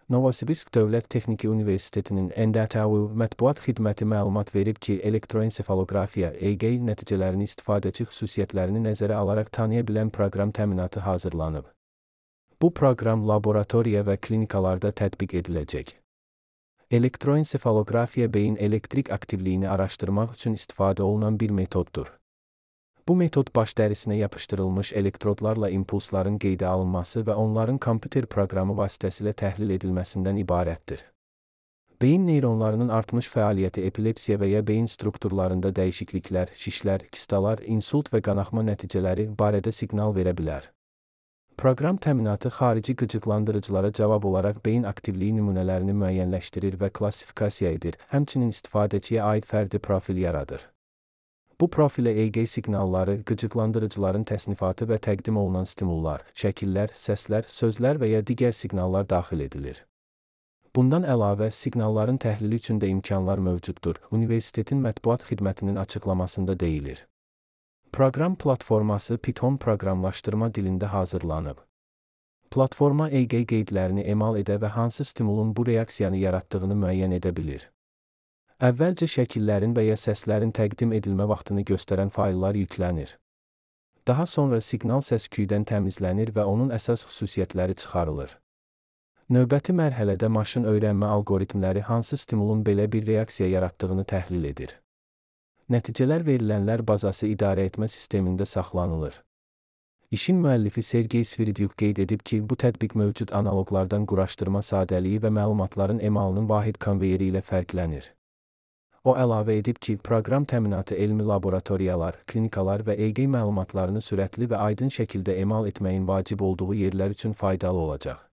Novosibirsk Dövlət Texniki Universitetinin NDTU mətbuat xidməti məlumat verib ki, elektroensefalografiya (EEG) nəticələrini istifadəçi xüsusiyyətlərini nəzərə alaraq tanıya bilən proqram təminatı hazırlanıb. Bu proqram laboratoriya və klinikalarda tətbiq ediləcək. Elektroensefalografiya beyin elektrik aktivliyini araşdırmaq üçün istifadə olunan bir metoddur. Bu metod baş dərisinə yapışdırılmış elektrodlarla impulsların qeydə alınması və onların kompüter proqramı vasitəsilə təhlil edilməsindən ibarətdir. Beyin neyronlarının artmış fəaliyyəti epilepsiya və ya beyin strukturlarında dəyişikliklər, şişlər, kistalar, insult və qanaxma nəticələri barədə siqnal verə bilər. Proqram təminatı xarici qıcıqlandırıcılara cavab olaraq beyin aktivliyi nümunələrini müəyyənləşdirir və klassifikasiya edir, həmçinin istifadəçiyə aid fərdi profil yaradır. Bu profilə EEG siqnalları, qıcıqlandırıcıların təsnifatı və təqdim olunan stimullar, şəkillər, səslər, sözlər və ya digər siqnallar daxil edilir. Bundan əlavə, siqnalların təhlili üçün də imkanlar mövcuddur, universitetin mətbuat xidmətinin açıqlamasında deyilir. Proqram platforması Python proqramlaşdırma dilində hazırlanıb. Platforma EEG qeydlərini emal edə və hansı stimulun bu reaksiyanı yaratdığını müəyyən edə bilir. Əvvəlcə şəkillərin və ya səslərin təqdim edilmə vaxtını göstərən fayllar yüklənir. Daha sonra siqnal səs-küydən təmizlənir və onun əsas xüsusiyyətləri çıxarılır. Növbəti mərhələdə maşın öyrənmə alqoritmləri hansı stimulun belə bir reaksiya yaratdığını təhlil edir. Nəticələr verilənlər bazası idarəetmə sistemində saxlanılır. İşin müəllifi Sergey Sviridyuk qeyd edib ki, bu tətbiq mövcud analoqlardan quraşdırma sadəliyi və məlumatların emalının vahid konveyeri ilə fərqlənir. O əlavə edib ki, proqram təminatı elmi laboratoriyalar, klinikalar və EEG məlumatlarını sürətli və aydın şəkildə emal etməyin vacib olduğu yerlər üçün faydalı olacaq.